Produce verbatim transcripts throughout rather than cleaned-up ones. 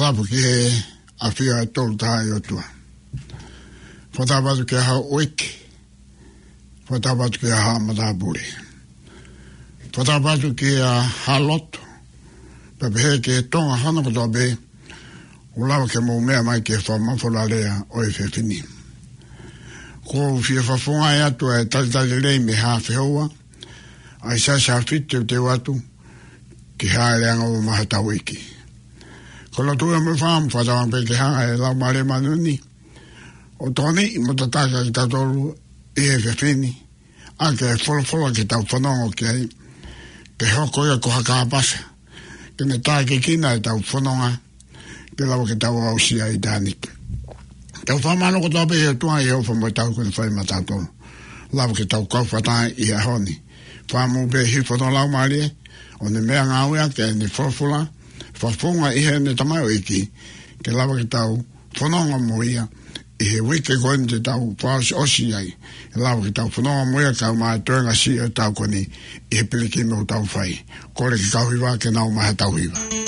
Tapu ki he ʻafio ʻa e Tolu Tahaʻi ʻOtua. Fakatapu atu ki he Haʻa ʻEiki. Fakatapu atu ki he Haʻa Matāpule. Fakatapu atu ki he Haʻa Lotu. Pea pehē ki he Tonga hono kotoa pē, ʻoku lava ke mou meʻa mai ki he fakamafola lea ʻo e efiafi ni. ʻOku ou fie fakafofongaʻi atu ʻa e talitali lelei mei he Haʻa Fehoua, ʻa e siasi Haʻa Fitu teuteu atu ki he Hāʻele Angaua maʻa hotau ʻEiki. Ko e lotu ia mo e fakatapu pē ke hanga ʻe he Laumālie Māʻoniʻoni ʻo tokoniʻi mo tataki kitautolu ʻi he efiafi ni, ʻaki e folofola ke tau fanongo ki ai, ke hoko ia ko ha kāpasa ke ne tākiekina ʻetau fononga, ke lava ke tau aʻusia ʻitāniti. Tau fakamālō kotoa pē ki he ʻOtua ʻi he ʻofa mo e tauhi kuo ne fai maʻatautolu. Lava ke tau kau fakataha ʻi he ʻaho ni. Fakamoʻui pē hifo hono Laumālie, ʻo ne meʻangāueʻaki ʻene folofola, fakafofonga ʻi heʻene tamaioʻeiki, ke lava ke tau fononga mo ia ʻi he uike ko eni te tau fakaʻosiʻosi ai. ʻE lava ke tau fononga mo ia kae ʻumaʻā e toenga siʻi ʻo e taʻu ko eni ʻi he pilikimi ʻoku tau fai. Kole ki he kau hiva ke nau ō mai ʻo tau hiva.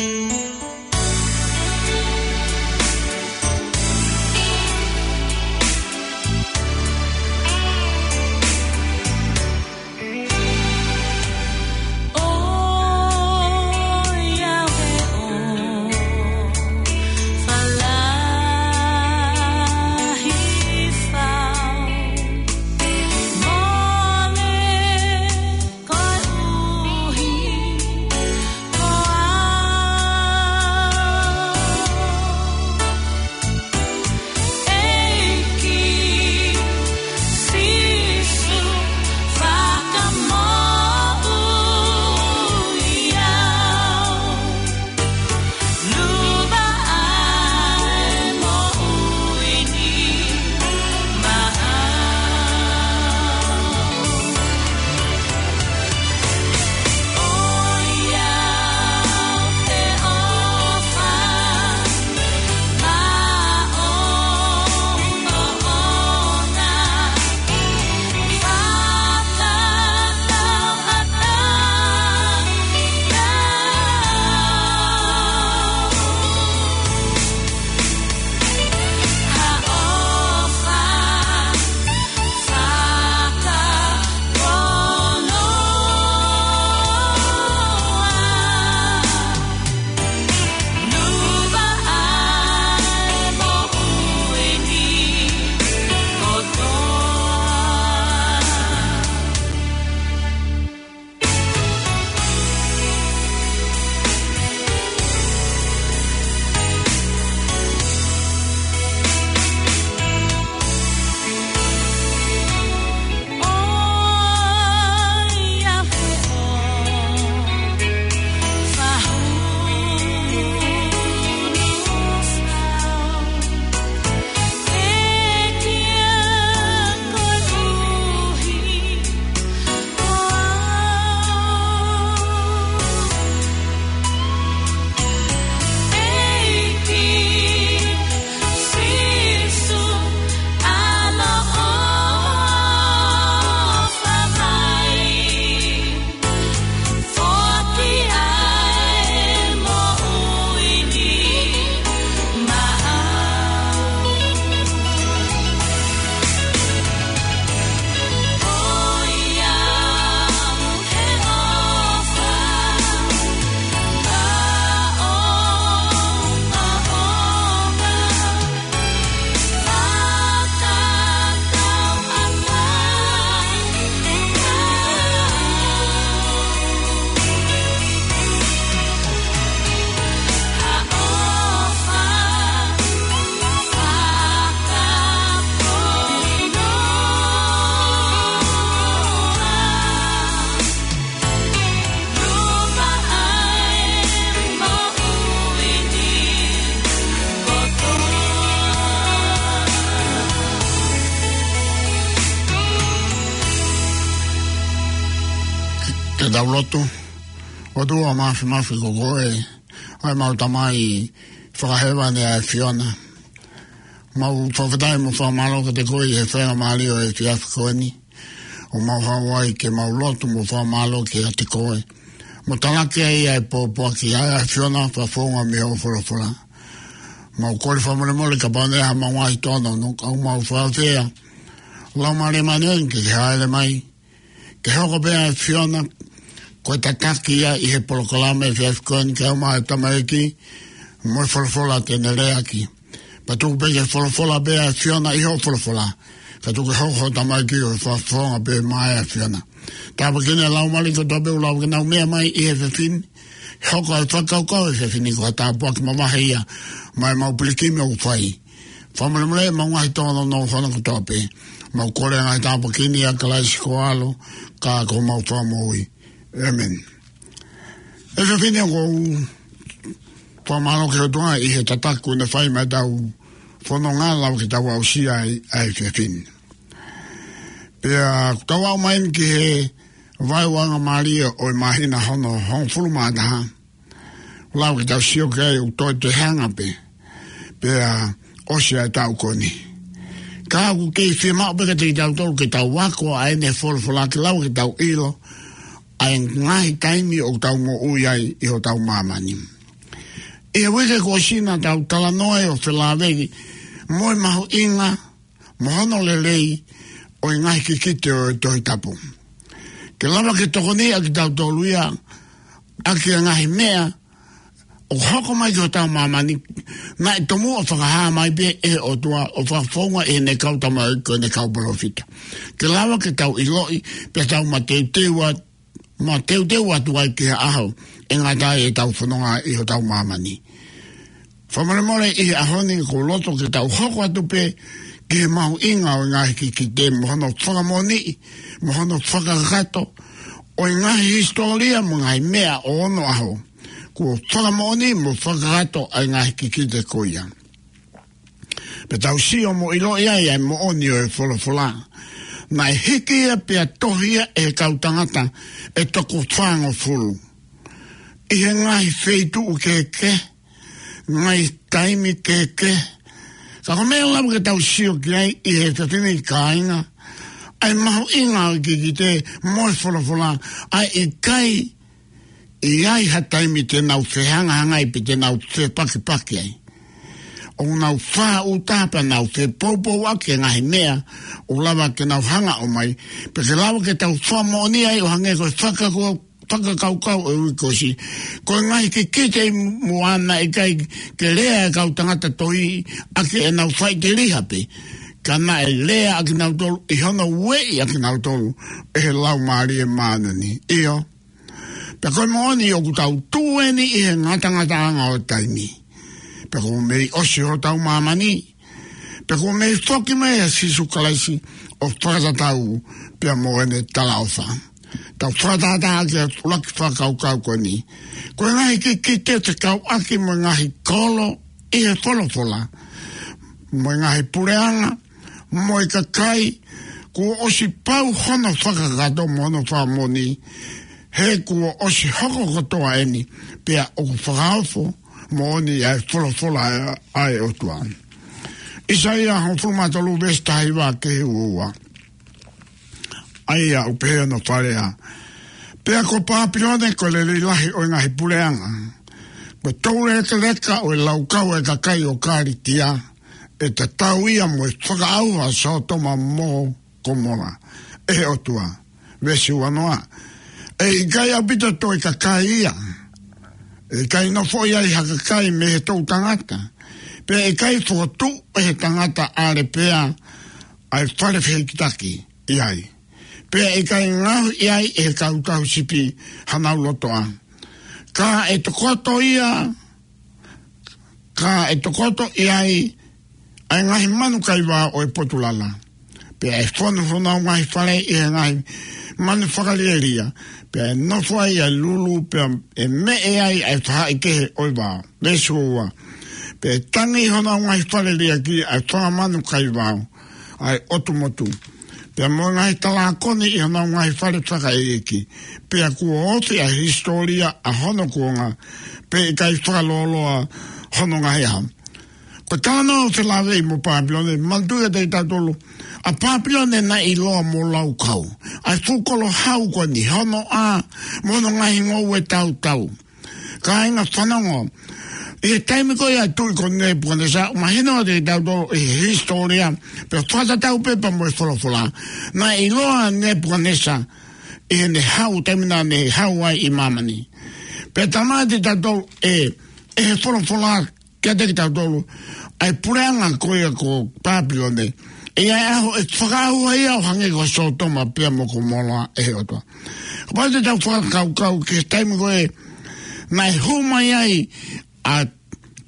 Ke tau lotu. ʻOtua Māfimafi, ko koe ʻa ʻemau Tamai fakahēvani ʻa e ʻAfiona. Mau fakafetaʻi mo fakamālō kiate koe ʻi he faingamālie ʻo e efiafi ko eni, ʻo mau haʻu ai ke mau lotu mo fakamālō kiate koe, mo talaki ai ʻa e pōpoaki ʻa e ʻAfiona, fakafofonga mei hoʻo folofola. Mau kole fakamolemole kapau naʻe ʻi ai haʻamau ngaahi tōnounou, ka ʻoku mau fakaafeʻi ʻa e Laumālie Māʻoniʻoni ke ke hāʻele mai, ke hoko pē ʻa e ʻAfiona ko e tataki ia ʻi he polokalama efiafi ko eni, ke ʻomai ʻa e tamaiki mo e folofola te ne leaʻaki. Pea tuku pē ke folofola pē ʻa e ʻAfiona ʻi hoʻo folofola, ka tuku ke hoko hoʻo tamaiki ko e fakafofonga pē maʻa e ʻAfiona. Tāpuakiʻi ʻa e laumālie kotoa pē ʻoku lava ke nau meʻa mai ʻi he efiafi ni, hoko ʻa e fakakaukau he efiafi ni ko ha tāpuaki mavahe ia maʻa ʻemau pilikimi ʻoku fai. Fakamolemole ʻemau ngaahi tōnounou hono kotoa pē. Mau kole ʻa e ngaahi tāpuaki ni ʻia Kalaisi ko ho ʻAlo, ka ko homau Fakamoʻui. ʻĒmeni. Efiafi ni ʻoku ou fakamālō ki he ʻOtua ʻi he tataki kuo ne fai maʻa ʻetau fononga, lava ke tau aʻusia ai ʻa e efiafi ni. Pea ʻoku tau aʻu mai eni ki he vaeuanga mālie ʻo e māhina hono hongofulu mā taha. Lava ke tau sio ki ai ʻoku toe toe hanga pē pea ʻosi ʻa e taʻu ko eni. Ka ʻoku kei fiemaʻu pē kiate kitautolu ke tau ako ʻa ʻene folofola ke lava ke tau ʻilo ʻa e ngaahi taimi ʻoku tau moʻui ai ʻi hotau māmani. ʻI he uike kuo ʻosi naʻa tau talanoa ai ʻo felāveʻi mo e mahuʻinga mo hono lelei ʻo e ngaahi kikite ʻo e Tohi Tapu, ke lava ke tokoniʻi ʻa kitautolu ia ʻaki ʻa e ngaahi meʻa ʻoku hoko mai ki hotau māmani, naʻe tomuʻa fakahā mai pē ʻe he ʻOtua ʻo fakafounga ʻe heʻene kau tamaioʻeiki ko ʻene kau palōfita, ke lava ke tau ʻiloʻi pea tau mateuteu atu, mateuteu atu ai ki he ʻaho ʻe ngata ai ʻetau fononga ʻi hotau māmani. Fakamolemole ʻi he ʻaho ni ʻoku ou loto ke tau hoko atu pē ki he mahuʻinga ʻo e ngaahi kikite mo hono fakamoʻoniʻi mo hono fakakakato ʻo e ngaahi hisitōlia mo e ngaahi meʻa ʻo onoʻaho kuo fakamoʻoniʻi mo fakakakato ʻa e ngaahi kikite ko ia. Pea tau sio mo ʻiloʻi ai ʻa e moʻoni ʻo e folofola. Naʻe hiki ia pea tohi ia ʻe he kau tangata ʻe toko fāngofulu ʻi he ngaahi feituʻu kehekehe, ngaahi taimi kehekehe. Ka ko e meʻa ʻoku lava ke tau sio ki ai ʻi he efiafi ni, kāinga, ʻa e mahuʻinga ʻo e kikite mo e folofola, ʻa e ʻikai ʻi ai ha taimi te nau fehangahangai pe te nau fepakipaki ai. ʻOku nau fāʻuta pea nau fepoupouaki e ngaahi meʻa ʻoku lava ke nau hanga ʻo ʻomai, pea ke lava ke tau fakamoʻoni ai ʻo hangē ko e fakako-, fakakaukau ʻo e uike kuo ʻosi. Ko e ngaahi kikite ʻi muʻa naʻe ʻikai ke lea e kau tangata tohi ʻaki ʻenau faʻiteliha pē, ka naʻe lea ʻakinautolu ʻi hono ueʻi ʻakinautolu ʻe he Laumālie Māʻoniʻoni. ʻIo. Pea ko e moʻoni ʻoku tau tuʻu eni ʻi he ngatangataʻanga ʻo e taimi. Pea kuo mei ʻosi hotau māmani. Pea kuo mei foki mai ʻa Sīsū Kalaisi ʻo fakatatau pea mo ʻene talaʻofa. Tau fakatātā ki he ʻuluaki fakakaukau ko eni. Ko e ngaahi kikite fekauʻaki mo e ngaahi kolo ʻi he folofola, mo e ngaahi puleʻanga, mo e kakai kuo ʻosi pau hono fakakakato mo hono fakamoʻoni, he kuo ʻosi hoko kotoa eni, pea ʻoku fakaofo moʻoni ʻa e folofola ʻa e ʻOtua. ʻAisea hongofulu mā tolu veesi taha hiva ki he ua ua. ʻA ia ʻoku pehē hono fakalea: Pea ko Pāpilone ko e lelei lahi ʻo e ngaahi puleʻanga, ko e toulekeleka ʻo e laukau ʻa e kakai ʻo Kalitia, ʻe tatau ia mo e fakaʻauha ʻa Sōtoma mo Komola ʻe he ʻOtua. Veesi ua noa: ʻE ʻikai ʻaupito toe kakai ia, ʻe ʻikai nofo ai ha kakai mei he toʻutangata, pea ʻe ʻikai fokotuʻu ʻe he tangata ʻalepea ʻa e fale fehikitaki ʻi ai, pea ʻe ʻikai ngaohi ʻi ai ʻe he kau tauhi sipi hanau lotoʻa. Ka ʻe tokoto ia, ka ʻe tokoto ʻi ai ʻa e ngaahi manu kaivao ʻo e potu lala, pea ʻe fonu honau ngaahi fale ʻi he ngaahi manu fakalielia, pea ʻe nofo ai ʻa e lulu, pea ʻe meʻe ai ʻa e faʻahikehe ʻo e vao. Veesi ua ua: Pea ʻe tangi ʻi honau ngaahi fale liʻaki ʻa e fanga manu kaivao ʻa e ʻotu motu, pea mo e ngaahi talākoni ʻi honau ngaahi fale fakaʻeiʻeiki. Pea kuo ofi ʻa e hisitōlia ʻa hono kuonga, pea ʻe ʻikai fakalōloa hono ngaahi ʻaho. Ko e talanoa ʻo e felāveʻi mo Pāpilone, manatuʻi ʻe kitautolu, ʻa Pāpilone naʻe ʻiloa mo laukau. ʻA e fuʻu kolo hau ko eni, hono ʻā mo hono ngaahi ngoue tautau. Kāinga, fanongo, ʻI he taimi ko ia ʻa e tuʻi ko Nepukanesa, mahino ʻa kitautolu ʻi he hisitōlia, pea fakatatau pē pea mo e folofola. Naʻe ʻiloa ʻa Nepukanesa ʻi heʻene hau, taimi naʻa ne hau ai ʻi māmani. Pea talamai ʻe kitautolu ʻe, ʻe he folofola kiate kitautolu, ʻa e puleʻanga ko ia ko Papilone, ʻe ʻi ai e ʻaho ʻe fakaʻauha ia ʻo hangē ko Sōtoma pea mo Komola ʻe he ʻOtua. Kapau te tau fakakaukau ki he taimi ko ē naʻe hū mai ai ʻa e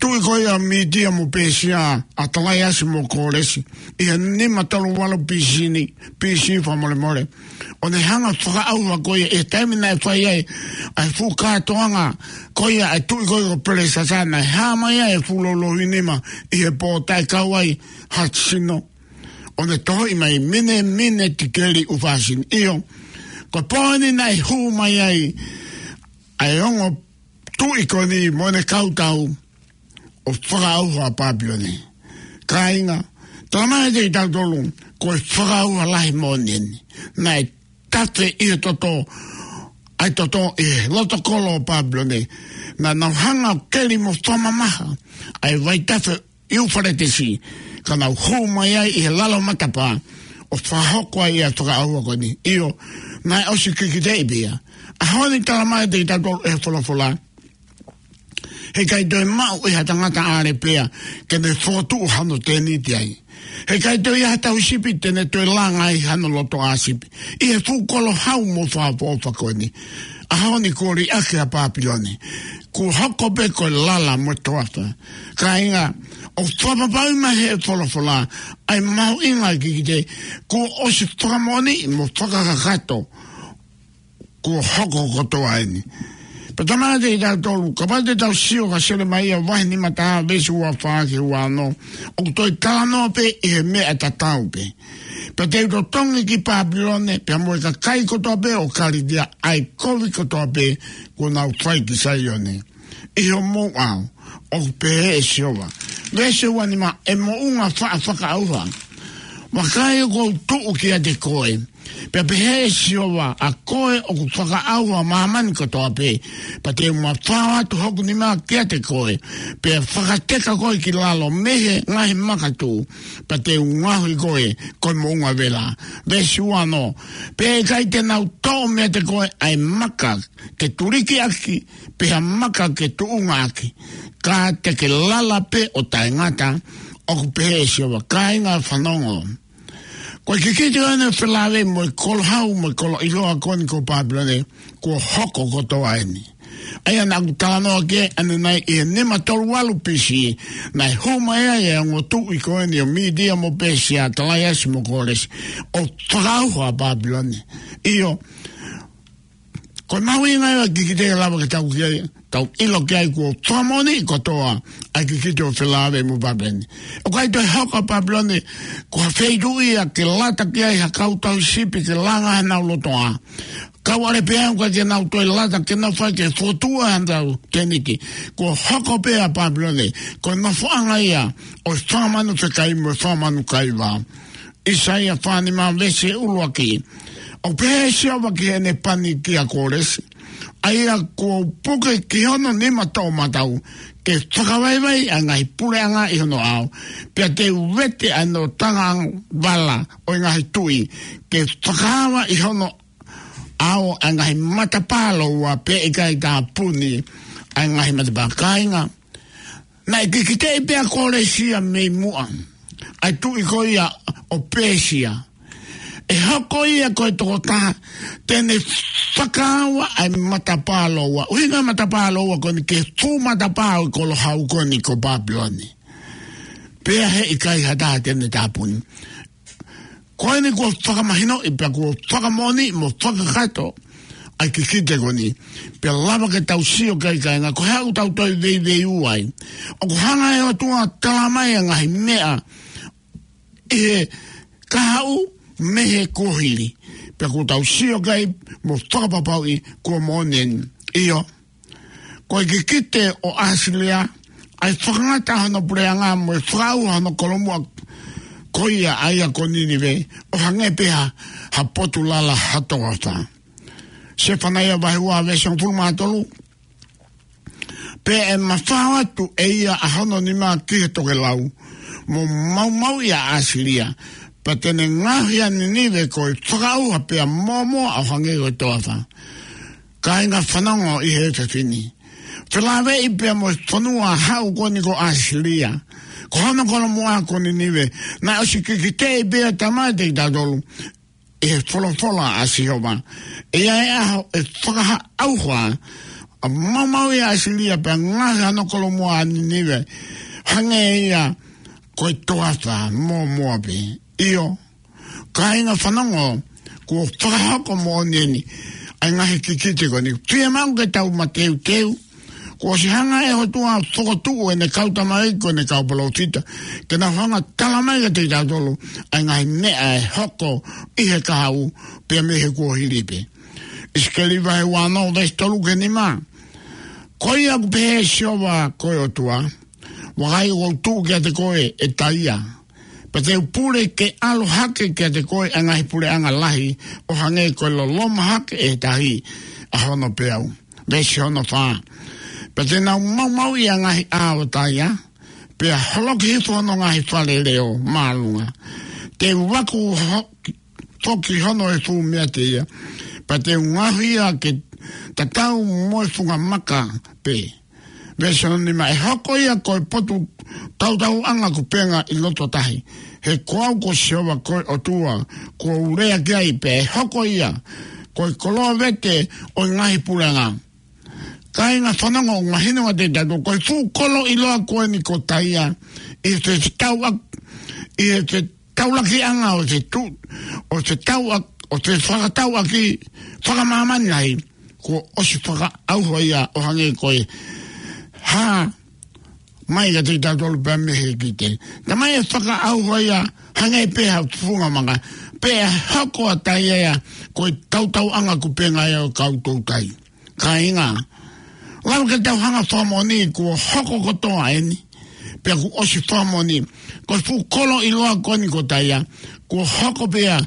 tuʻi ko ia ʻo Mītia mo Pēsia, ʻa Talaiasi mo Kōlesi, ʻi he nima tolu valu B C ni, B C fakamolemole. ʻO ne hanga ʻo fakaʻauha ko ia ʻi he taimi naʻe fai ai ʻa e fuʻu kātoanga ko ia ʻa e tuʻi ko ia ko Pelesasa, naʻe hā mai ai e fuʻu loulouhiʻi nima ʻi he pō, taʻe kau ai ha sino. ʻO ne tohoʻi mai mine, mine, tikeli, ʻū fāsini. ʻIo, ko e pō ni naʻe hū mai ai ʻa e ongo tuʻi ko eni mo ʻene kau tau ʻo fakaʻauha ʻa Papilone. Kāinga, talamai ʻe kitautolu, ko e fakaʻauha lahi moʻoni eni. Naʻe tafe ʻi he toto, ʻa e toto ʻi he loto kolo ʻo Papilone. Naʻa nau hanga ʻo keli mo fakamamaha ʻa e vaitafe ʻIufaletesi, ka nau hū mai ai ʻi he lalo matapā, ʻo fakahoko ai ʻa e fakaʻauha ko eni. ʻIo, naʻe ʻosi kikiteʻi pē ia. ʻAho ni talamai ʻe kitautolu ʻe he folofola, heʻikai toe maʻu ʻe ha tangata ʻAlepea ke ne fokotuʻu hano tēniti ai. Heʻikai toe ʻi ai ha tauhi sipi te ne toe langa ai hano lotoʻā sipi ʻi he fuʻu kolo hau mo fakaʻofoʻofa ko eni. ʻAho ni kuo liʻaki ʻa Papilone. Kuo hoko pē ko e lala mo e toafa. Kāinga, ʻoku fakapapauʻi mai ʻe he folofola ʻa e mahuʻinga ʻo e kikite, kuo ʻosi fakamoʻoniʻi mo fakakakato, kuo hoko kotoa eni. Pea talamai ʻe kitautolu, kapau te tau sio kia Selemaia vahe nima taha veesi ua fā ki he ua ono, ʻoku toe talanoa pē ʻi he meʻa tatau pē. Pea te u totongi ki Papilone, pea mo e kakai kotoa pē ʻo Kalitia, ʻa e kovi kotoa pē kuo nau fai ki Saione ʻi homou ʻao, ʻoku pehē ʻe Sihova. Veesi ua nima, ʻe moʻunga faʻa fakaʻauha. Vakai ʻoku ou tuʻu kiate koe, pea pehē ʻe Sihova, ʻa koe ʻoku fakaʻauha ʻa māmani kotoa pē, pea te u mafao atu hoku nima kiate koe, pea fakateka koe ki lalo mei he ngaahi makatuʻu, pea te u ngaohi koe ko e moʻunga vela. Veesi ua ono, pea ʻe ʻikai te nau toʻo meiate koe ʻa e maka ke tuliki ʻaki, pe ha maka ke tuʻunga ʻaki, ka te ke lala pē ʻo taʻengata, ʻoku pehē ʻe Sihova. Kāinga, fanongo. Ko e kikite ʻo ʻene felāveʻi mo e kolo hau mo e kolo ʻiloa ko eni ko Papilone, kuo hoko kotoa eni. ʻA ia naʻa ku talanoa ki ai ʻanenai ʻi he nima tolu valu B C, naʻe hū mai ai ʻa e ongo tuʻi ko eni ʻo Mītia mo Pēsia, Talaiasi mo Kōlesi, ʻo fakaʻauha ʻa Papilone. ʻIo, ko e mahuʻinga ia ʻo e kikite ʻe lava ke tau ki ai, tau ʻilo ki ai kuo fakamoʻoniʻi kotoa ʻa e kikite ʻo e felāveʻi mo Papilone. ʻOku ʻikai toe hoko ʻa Papilone ko ha feituʻu ia ke lata ki ai ha kau tauhi sipi ke langa hanau lotoʻā. Kau ʻAlepea ʻoku ʻikai ke nau toe lata ke nau fai ke fokotuʻu hanau tēniti. Kuo hoko pē ʻa Papilone ko e nofoʻanga ia ʻo e fakamanu fekai mo e fakamanu kaivā. ʻAisea fā nima veesi ʻuluaki. ʻOku pehē ʻe Sihova ki heʻene pani kia Kōlesi, ʻa ia kuo u puke ki hono nima toʻomataʻu, ke fakavaivai ʻa e ngaahi puleʻanga ʻi hono ʻao, pea te u vete ʻa hono tangata vala ʻo e ngaahi tuʻi, ke fakaava ʻi hono ʻao ʻa e ngaahi matapā lōua, pea ʻikai tāpuni ʻa e ngaahi matapā. Kāinga, naʻe kikiteʻi pē ʻa Kōlesi ia mei muʻa, ʻa e tuʻi ko ia ʻo Pēsia. ʻE hoko ia ko e tokotaha te ne fakaava ʻa e matapā lōua. ʻUhinga matapā lōua ko eni ki he fuʻu matapā ʻo e kolo hau ko eni ko Papilone. Pea heʻikai ha taha te ne tāpuni. Ko eni kuo fakamahinoʻi pea kuo fakamoʻoniʻi mo fakakakato ʻa e kikite ko eni. Pea lava ke tau sio ki ai, kāinga, ko e hā ʻoku tau toe veiveiua ai. ʻOku hanga ʻe he ʻOtua ʻo talamai ʻa e ngaahi meʻa ʻi he kahaʻu mei he kuohili. Pea kuo tau sio ki ai mo fakapapauʻi kuo moʻoni eni. ʻIo, ko e kikite ʻo ʻAsilia, ʻa e fakangata hono puleʻanga mo e fakaʻauha hono kolomuʻa ko ia, ʻa ia ko Ninive, ʻo hangē pē ha, ha potu lala ha toafa. Sefanaia vahe ua veesi hongofulu mā tolu. Pea ʻe mafao atu ʻe ia ʻa hono nima ki he tokelau, mo maumauʻi ʻa ʻAsilia, pea te ne ngaohi ʻa Ninive ko e fakaʻauha pea mōmoa ʻo hangē ko e toafa. Kāinga, fanongo ʻi he efiafi ni. Felāveʻi pea mo e fonua haʻu ko eni ko ʻAsilia, ko hono kolomuʻa ko Ninive, naʻe ʻosi kikiteʻi pea tamai te kitautolu ʻi he folofola ʻa Sihova. ʻE ʻi ai e ʻaho ʻe fakaʻauha, ʻa maumauʻi ʻa ʻAsilia pea ngaohi hono kolomuʻa ʻa Ninive, hangē ia ko e toafa mōmoa pē. ʻIo, kāinga, fanongo, kuo fakahoko moʻoni eni ʻa e ngaahi kikite ko eni. Fiemaʻu ke tau mateuteu. Kuo ʻosi hanga ʻe he ʻOtua ʻo fokotuʻu ʻene kau tamaiki, ko ʻene kau palōfita, ke nau hanga ʻo tala mai kiate kitautolu ʻa e ngaahi meʻa ʻe hoko ʻi he kahaʻu pea mei he kuohili pē. ʻIsikeli vahe uaono, veesi tolu ki he nima. Ko ia ʻoku pehē ʻe Sihova ko e ʻOtua: Vakai, ʻoku ou tuʻu kiate koe, ʻe Taia, pea te u pule ke ʻalu hake kiate koe ʻa e ngaahi puleʻanga lahi, ʻo hangē ko e loloma hake ʻe he tahi ʻa hono peau. Veesi hono fā. Pea te nau maumauʻi ʻa e ngaahi ʻā ʻo Taia, pea holoki hifo hono ngaahi fale leʻo māʻolunga. Te u vaku ho-, foki hono efu meiate ia, pea te u ngaohi ia ke tatau mo e funga maka pē. Veesi hono nima. ʻE hoko ia ko e potu tautauʻanga kupenga ʻi loto tahi, he ko au ko Sihova ko e ʻOtua kuo u lea ki ai, pea ʻe hoko ia ko e koloa vete ʻo e ngaahi puleʻanga. Kāinga, fanongo, ʻoku mahino kiate kitautolu ko e fuʻu kolo ʻiloa ko eni ko Taia, ʻi he fetauʻa-, ʻi he fetaulakiʻanga ʻo e tu-, ʻo e fetauʻa-, ʻo e fakatauʻaki fakamāmani lahi, kuo ʻosi fakaʻauha ia ʻo hangē ko e hā mai kiate kitautolu pea mei he kikite. Naʻe mai ʻe fakaʻauha ia hangē pē ha funga maka, pea hoko ʻa Taia ia ko e tautauʻanga kupenga ia ʻo e kau toutai. Kāinga, lava ke tau hanga ʻo fakamoʻoni kuo hoko kotoa eni, pea kuo ʻosi fakamoʻoni. Ko e fuʻu kolo ʻiloa ko eni ko Taia, kuo hoko pē ia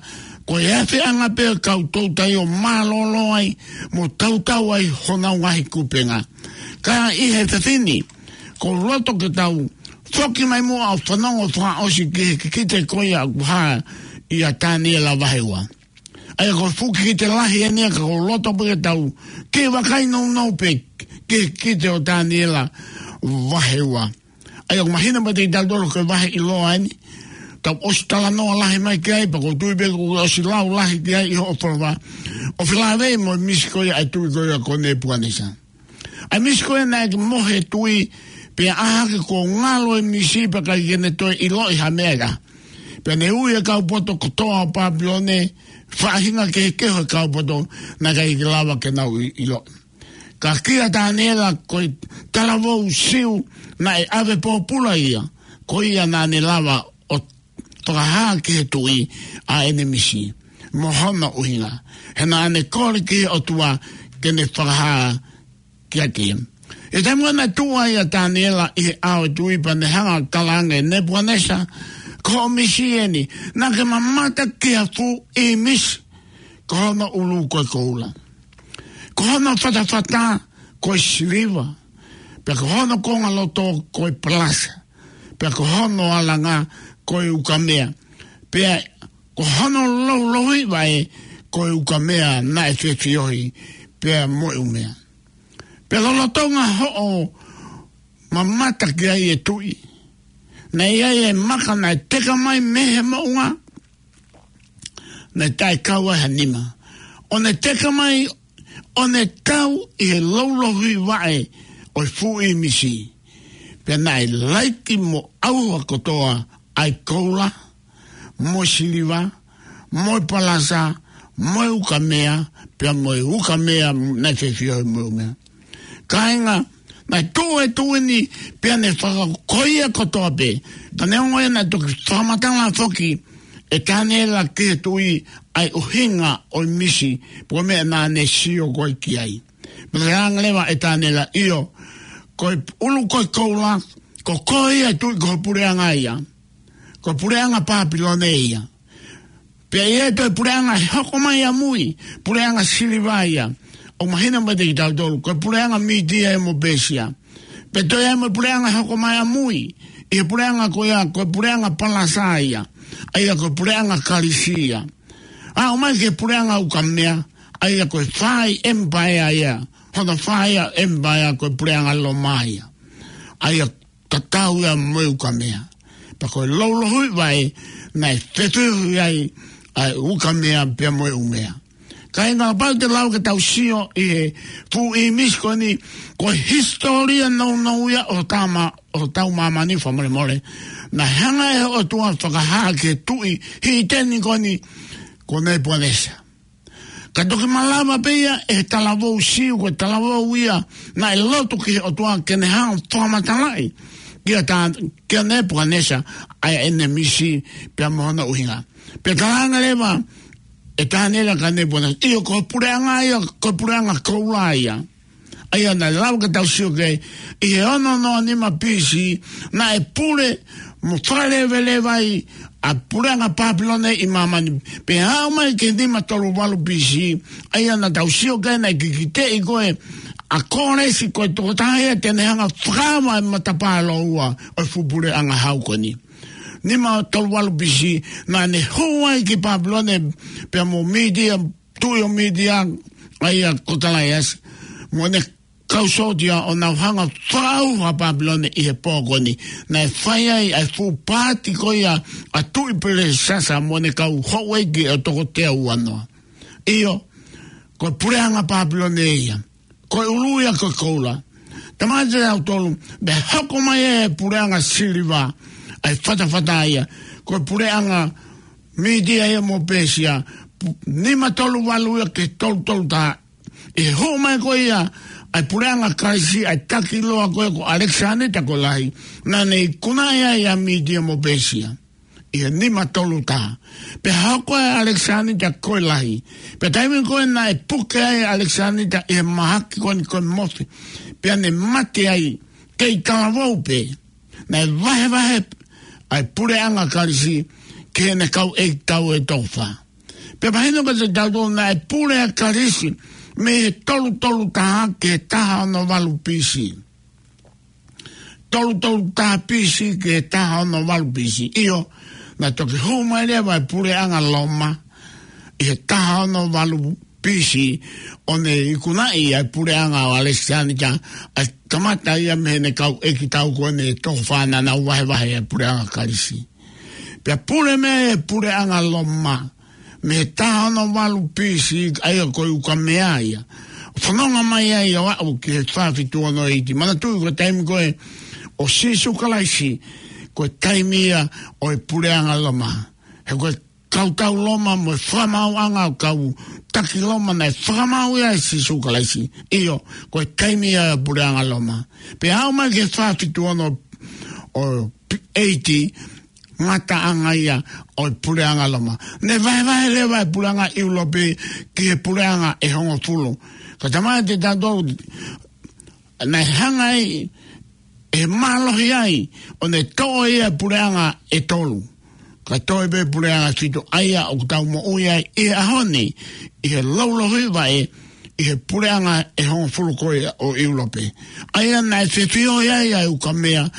ko e ʻafeʻanga pē ʻo e kau toutai ʻo mālōlō ai mo tautau ai honau ngaahi kupenga. Ka ʻi he efiafi ni, ʻoku ou loto ke tau foki mai muʻa ʻo fanongo fakaʻosi ki he kikite ko ia ʻoku hā ʻia Taniela vahe ua. ʻA ia ko e fuʻu kikite lahi eni, ka ʻoku ou loto pē ke tau kiʻi vakai nounou pē ki he kikite ʻo Taniela vahe ua. ʻA ia ʻoku mahino mai kiate kitautolu ko e vahe ʻiloa eni. Tau ʻosi talanoa lahi mai ki ai, pea ʻoku ou tui pē kuo ʻosi lau lahi ki ai ʻi hoʻo folofola. ʻO felāveʻi mo e misi ko ia ʻa e tuʻi ko ia ko Nepukanesa. ʻA e misi ko ia naʻe mohe e tuʻi, pea ʻā hake kuo ngalo e misi pea ʻikai ke ne toe ʻiloʻi ha meʻa ia. Pea ne ui e kau poto kotoa ʻo Pāpilone, faʻahinga kehekehe ʻo e kau poto, naʻe ʻikai ke lava ke nau ʻi-, ʻiloʻi. Ka kia Taniela, ko e talavou Siu naʻe ʻave pōpula ia, ko ia naʻa ne lava ʻo fakahā ki he tuʻi ʻa ʻene misi mo hono ʻuhinga, he naʻa ne kole ki he ʻOtua ke ne fakahā kiate ia. ʻI he taimi ko ē naʻe tuʻu ai ʻa Taniela ʻi he ʻao ʻo e tuʻi, pea ne hanga ʻo talaange, Nepukanesa, ko hoʻo misi eni, naʻa ke mamata ki ha fuʻu ʻīmisi, ko hono ʻulu ko e koula, ko hono fatafata ko e siliva, pea ko hono konga loto ko e palasa, pea ko hono alanga ko e ukamea, pea ko hono loulouhiʻi vaʻe ko e ukamea naʻe fefiohi pea mo e ʻumea. Pea lolotonga hoʻo mamata ki ai, ʻe tuʻi, naʻe ʻi ai e maka naʻe teka mai mei he moʻunga, naʻe taʻekau ai ha nima, ʻo ne teka mai, ʻo ne tau ʻi he loulouhiʻi vaʻe ʻo e fuʻu ʻīmisi. Pea naʻe laiki mo ʻauha kotoa ʻa e koula, mo e siliva, mo e palasa, mo e ukamea, pea mo e ukamea naʻe fefiohi mo e ʻumea. Kāinga, naʻe tuʻu e tuʻi ni, pea ne fakakoia kotoa pē. Ka neongo ia, naʻe toki fakamatala foki ʻe Taniela ki he tuʻi ʻa e ʻuhinga ʻo e misi, pe ko e meʻa naʻa ne sio ko ē ki ai. Pea talaange leva ʻe Taniela, ʻio, ko e ʻulu ko e koula, ko koe ia ʻe tuʻi, ko e puleʻanga ia, ko e puleʻanga Pāpilone ia. Pea ʻe ʻi ai e toe puleʻanga ʻe hoko mai ʻamui, puleʻanga siliva ia. ʻOku mahino mai kiate kitautolu ko e puleʻanga Mītia mo Pēsia. Pea toe ʻi ai mo e puleʻanga hoko mai ʻamui, ʻi he puleʻanga ko ia, ko e puleʻanga palasa ia, ʻa ia ko e puleʻanga Kalisi ia. ʻA ʻomai ki he puleʻanga Ukamea, ʻa ia ko e fai empire ia, hono fai ia empire ko e puleʻanga Loma ia. ʻA ia tatau ia mo e Ukamea. Pea ko e loulohui vaʻe, naʻe fetuhi ai ʻa e Ukamea pea mo e ʻUmea. Ka ʻi he ngaahi pau te lau ke tau sio ʻi he fuʻu ʻīmisi ko eni, ko e hisitōlia nounou ia ʻo tama, ʻo tau māmani fakamolemole. Naʻe hanga ʻe he ʻOtua fakahā ki he tuʻi hīteni ko eni, ko Nepukanesa. Ka toki malava pē ia ʻe he talavou Siu, ko e talavou ia naʻe lotu ki he ʻOtua ke ne hanga fakamatalaʻi kia tā, kia Nepukanesa ʻa ʻene misi pea mo hono ʻuhinga. Pea talaange leva ʻe Taniela kia Nepukanesa, ʻio, ko e puleʻanga ia, ko e puleʻanga koula ia. ʻA ia naʻe lava ke tau sio ki ai, ʻi he ono noa nima B C, naʻe pule mo fakaleveleva ai ʻa e puleʻanga Papilone ʻi māmani. Pea aʻu mai ki he nima tolu valu B C, ʻa ia naʻa tau sio ki ai naʻe kikiteʻi ko ē ʻa Kolesi ko e tokotaha ia te ne hanga fakaava e matapā lōua ʻo e fuʻu puleʻanga hau ko eni. Nima tolu valu B C, naʻa ne hū ai ki Papilone pea mo Mītia, tuʻi ʻo Mītia, ʻa ia ko Talaiasi, mo ʻene kau sōtia ʻo nau hanga fakaʻauha ʻa Papilone ʻi he pō ko eni. Naʻe fai ai ʻa e fuʻu paati ko ia ʻa Tuʻi Pelesasa mo ʻene kau houʻeiki ʻe toko teau uanoa. ʻIo, ko e puleʻanga Papilone ia. Ko e ʻulu ia ko e koula. Tamate au tolu, pea hoko mai e puleʻanga siliva, ʻa e fatafata ia. Ko e puleʻanga Mītia ia mo Pēsia, pu-, nima tolu valu ia ki he tolu tolu taha. ʻI he hū mai ko ia ʻa e puleʻanga Kalisi, ʻa e taki loa ko ē ko ʻAlekisanita ko e Lahi, naʻa ne ikunaʻi ai ʻa Mītia mo Pēsia ʻi he nima tolu taha. Pea hoko ʻa ʻAlekisanita ko e Lahi. Pea taimi ko ē naʻe puke ai ʻa ʻAlekisanita ʻi he mahaki ko eni ko e mofi, pea ne mate ai, kei talavou pē. Naʻe vahevahe ʻa e puleʻanga Kalisi ki heʻene kau ʻeikitau ʻe toko fā. Pea mahino kiate kitautolu naʻe pule ʻa Kalisi mei he tolu tolu taha ki he taha ono valu B C. Tolu tolu taha B C ki he taha ono valu B C. ʻIo, naʻe toki hū mai leva e puleʻanga Loma ʻi he taha ono valu B C, ʻo ne ikunaʻi ʻa e puleʻanga ʻo ʻAlekisanita, ʻa e kamata ia mei heʻene kau ʻeikitau ko eni ʻe toko fā naʻa nau vahevahe ʻa e puleʻanga Kalisi. Pea pule mai e puleʻanga Loma mei he taha ono valu B C, ʻa ia ko e ukamea ia. Fononga mai ai ʻo aʻu ki he fā fitu ono eiti. Manatuʻi ko e taimi ko ē ʻo Sīsū Kalaisi, ko e taimi ia ʻo e puleʻanga Loma. He ko e kau tau Loma mo e fakamaauʻanga ʻo e kau taki Loma naʻe fakamaau ia ʻe Sīsū Kalaisi. ʻIo, ko e taimi ia ʻo e puleʻanga Loma. Pea aʻu mai ki he fā fitu ono ʻo eiti, ngataʻanga ia ʻo e puleʻanga Loma. Ne vahevahe leva e puleʻanga ʻIulope ki he puleʻanga ʻe hongofulu. Ka tamate tautolu, naʻe hanga ai ʻe he mālohi ai, ʻo ne toʻo ia e puleʻanga ʻe tolu. Ka toe pē puleʻanga ʻe fitu, ʻa ia ʻoku tau moʻui ai ʻi he ʻaho ni, ʻi he loulohi vaʻe, ʻi he puleʻanga ʻe hongofulu ko ia ʻo ʻIulope. ʻA ia naʻe fefiohi ai ʻa e ukamea,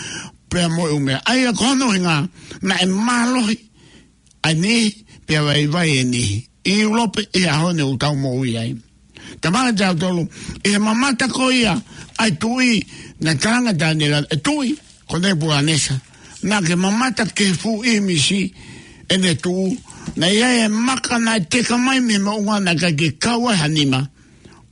pea mo e ʻumea. ʻA ia ko hono ʻuhinga, naʻe mālohi ʻa e niʻihi, pea vaivai e niʻihi. ʻI ʻIulope ʻi he ʻaho ni ʻoku tau moʻui ai. Tamate tautolu, ʻi he mamata ko ia ʻa e tuʻi, naʻe talaange ʻe Taniela, e tuʻi ko Nepukanesa, naʻa ke mamata ki he fuʻu ʻīmisi ʻene tuʻu, naʻe ʻi ai e maka naʻe teka mai mei he moʻunga naʻe ʻikai ke kau ai ha nima.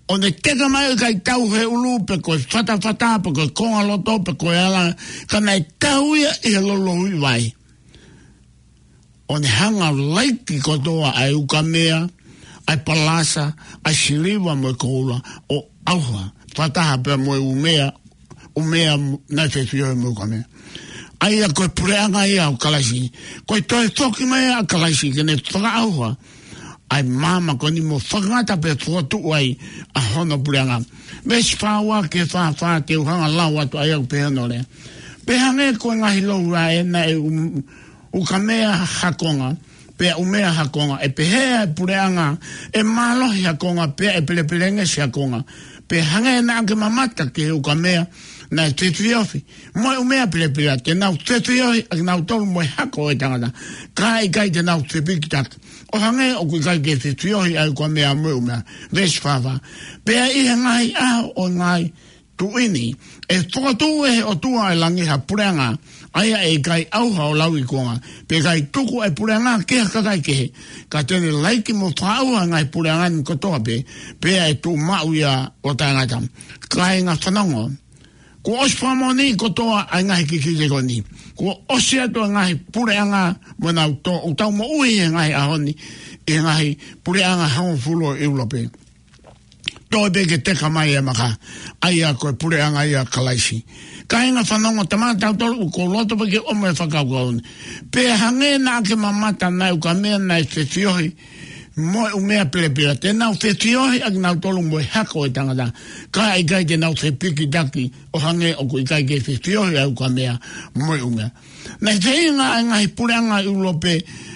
ʻO ne teka mai ʻikai tau he ʻulu pe ko e fatafata, pe ko e kongaloto, pe ko e ala, ka naʻe tau ia ʻi he loulohi vaʻe. ʻO ne hanga laiki kotoa ʻa e ukamea, ʻa e palasa, ʻa e siliva mo e koula, ʻo ʻauha, fakataha pea mo e ʻumea, ʻumea naʻe fefiohi mo e ukamea. ʻA ia ko e puleʻanga ia ʻo Kalaisi, ko e toe foki mai ʻa Kalaisi, ke ne fakaʻauha ʻa e maama ko eni mo fakangata pea fokotuʻu ai ʻa hono puleʻanga. Veesi fā ua ki he fā fā te u hanga lau atu ʻa ia ʻoku pehē hono lea. Pea hangē ko e ngaahi loulohi vaʻe naʻe um-, ukamea ha konga, pea ʻumea ha konga, ʻe pehē ʻa e puleʻanga ʻe mālohi ha konga, pea ʻe pelepelengesi ha konga. Pea hangē naʻa ke mamata ki he ukamea, naʻe fefiofi mo e ʻumea pelepela, te nau fefiofi ʻa kinautolu mo e hako ʻo e tangata, ka ʻikai te nau fepikitaki, ʻo hangē ʻoku ʻikai ke fefiofi ʻa e ukamea mo e ʻumea. Veesi fā fā. Pea ʻi he ngaahi ʻaho ʻo e ngaahi tuʻi ni, ʻe fokotuʻu ʻe he ʻOtua ʻo e langi ha puleʻanga, ʻa ia ʻe ʻikai ʻauha ʻo lauikuonga, pea ʻikai tuku ʻa e puleʻanga ki ha kakai kehe, ka te ne laiki mo fakaʻauha ʻa e ngaahi puleʻanga ni kotoa pē, pea ʻe tuʻu maʻu ia ʻo taʻengata. Kāinga fanongo, kuo ʻosi fakamoʻoni kotoa ʻa e ngaahi kikite ko eni. Kuo ʻosi atu ʻa e ngaahi puleʻanga mo nau tō, ʻoku tau moʻui he ngaahi ʻaho ni ʻi he ngaahi puleʻanga hongofulu ʻo ʻIulope. Toe pē ke teka mai e maka, ʻa ia ko e puleʻanga ʻia Kalaisi. Kāinga fanongo, talamai ʻe tautolu, ʻoku ou loto pē ke ʻomai e fakakaukau ni. Pea hangē naʻa ke mamata, naʻe ukamea naʻe fefiofi mo e ʻumea pelepela, te nau fefiofi ʻa kinautolu mo e hako ʻo e tangata, ka ʻikai te nau fepikitaki, ʻo hangē ʻoku ʻikai ke fefiofi ʻa e ukamea mo e ʻumea. Naʻe feinga ʻa e ngaahi puleʻanga ʻIulope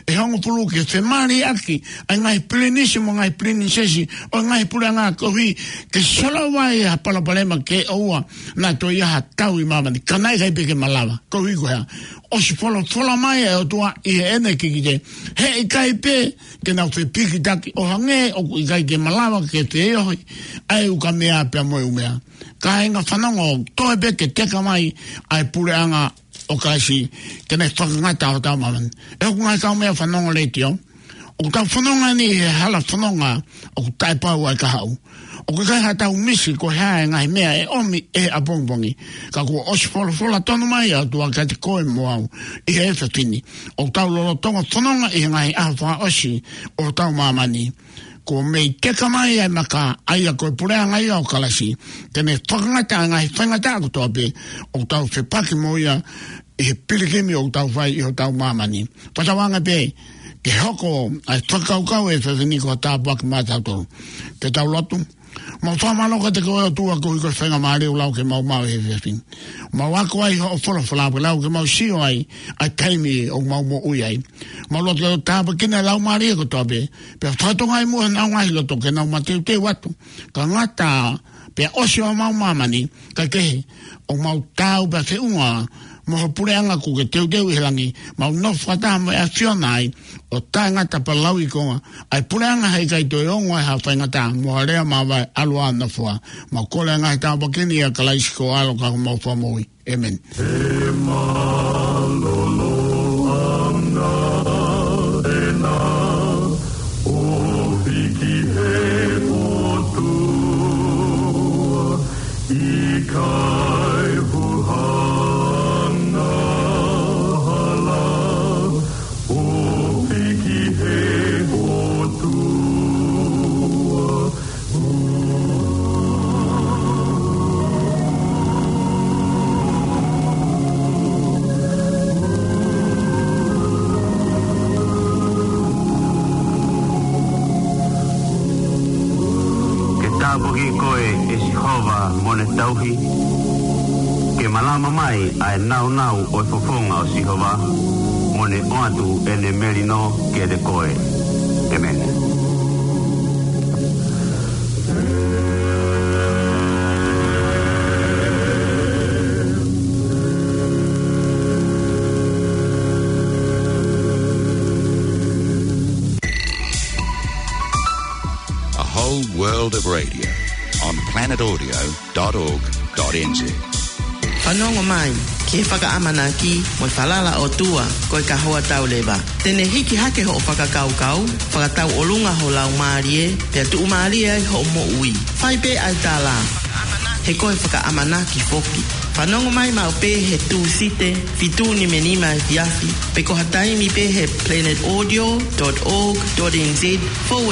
ʻe hongofulu ke femaliʻaki ʻa e ngaahi pilinisi mo e ngaahi pilinisesi ʻo e ngaahi puleʻanga koeʻuhi ke solova ai ha palopalema ke ʻoua naʻa toe ʻi ai ha tau ʻi māmani. Ka naʻe ʻikai pē ke malava. Koeʻuhi ko e hā? ʻOsi folofola mai ʻa e ʻOtua ʻi heʻene kikite, he ʻikai pē ke nau fepikitaki, ʻo hangē ʻoku ʻikai ke malava ke feohi ʻa e ukamea pea mo e ʻumea. Kāinga fanongo, toe pē ke teka mai ʻa e puleʻanga ʻo Kalaisi, ke ne fakangata hotau māmani. ʻE hoku ngaahi kaumeʻa fanongo letiō, ʻoku tau fononga ni he hala fononga ʻoku taʻepau ai kahaʻu. ʻOku ʻikai haʻatau misi ko e hā e ngaahi meʻa ʻe ʻomi ʻe he ʻapongipongi. Ka kuo ʻosi folofola tonu mai ʻa e ʻOtua kiate koe mo au ʻi he efiafi ni. ʻOku tau lolotonga fononga ʻi he ngaahi ʻaho fakaʻosi ʻo hotau māmani. Kuo mei teka mai ʻa e maka, ʻa ia ko e puleʻanga ʻia ʻo Kalaisi, ke ne fakangata ʻa e ngaahi faingataʻa kotoa pē ʻoku tau fepaki mo ia ʻi he pilikimi ʻoku tau fai ʻi hotau māmani. Pea tauange pē ke hoko ʻa e fakakaukau ʻo e efiafi ni ko ha tāpuaki maʻa tautolu. Ke tau lotu. Mau fakamālō kiate koe ʻOtua koeʻuhi ko e faingamālie ʻoku lau ke mau maʻu he efiafi ni. Mau ako ai hoʻo folofola, pea lau ke mau sio ai ʻa e taimi ʻoku mau moʻui ai. Mau lotu ke tāpuekina e laumālie kotoa pē, pea fakatokangaʻi muʻa honau ngaahi loto ke nau mateuteu atu. Ka ngata pea ʻosi ʻa homau māmani, ka kehe, ʻoku mau taau pea feʻunga mo ho puleʻanga kuo ke teuteu ʻi he langi, mau nofo fakataha mo e ʻAfiona ai, ʻo taʻengata pea lauikuonga ʻa e puleʻanga, he ʻikai toe ongo ai ha faingataʻa mo ha lea māvae. ʻAlu ā, nofo ā. Mau kole ʻa e ngaahi tāpuaki ni ʻia Kalaisi ko ho ʻAlo ka ko homau Fakamoʻui. ʻĒmeni. He mālōlō ʻana ʻena ʻofi ki he ʻOtua, ʻikai huhanga hala, ʻofi ki he ʻOtua. Ke tāpuakiʻi koe ʻe Sihova mo ne tauhi, ke malama mai ʻa e nāunau ʻo e fofonga ʻo Sihova, mo ne ʻoatu ʻene melino kiate koe. ʻĒmeni. A whole world of radio on planet audio dot org dot N Z. Fanongo mai ki he fakaʻamanaki mo e falala ʻOtua ko e kahoa tau leva. Te ne hiki hake hoʻo fakakaukau, fakatauʻolunga ho laumālie, pea tuʻumālie ai hoʻo moʻui. Fai pē ʻa e tala, he ko e fakaʻamanaki foki. Fanongo mai maʻu pē he Tūsite, fitu nimanima efiafi, pe ko ha taimi pē he planet audio dot org dot N Z forward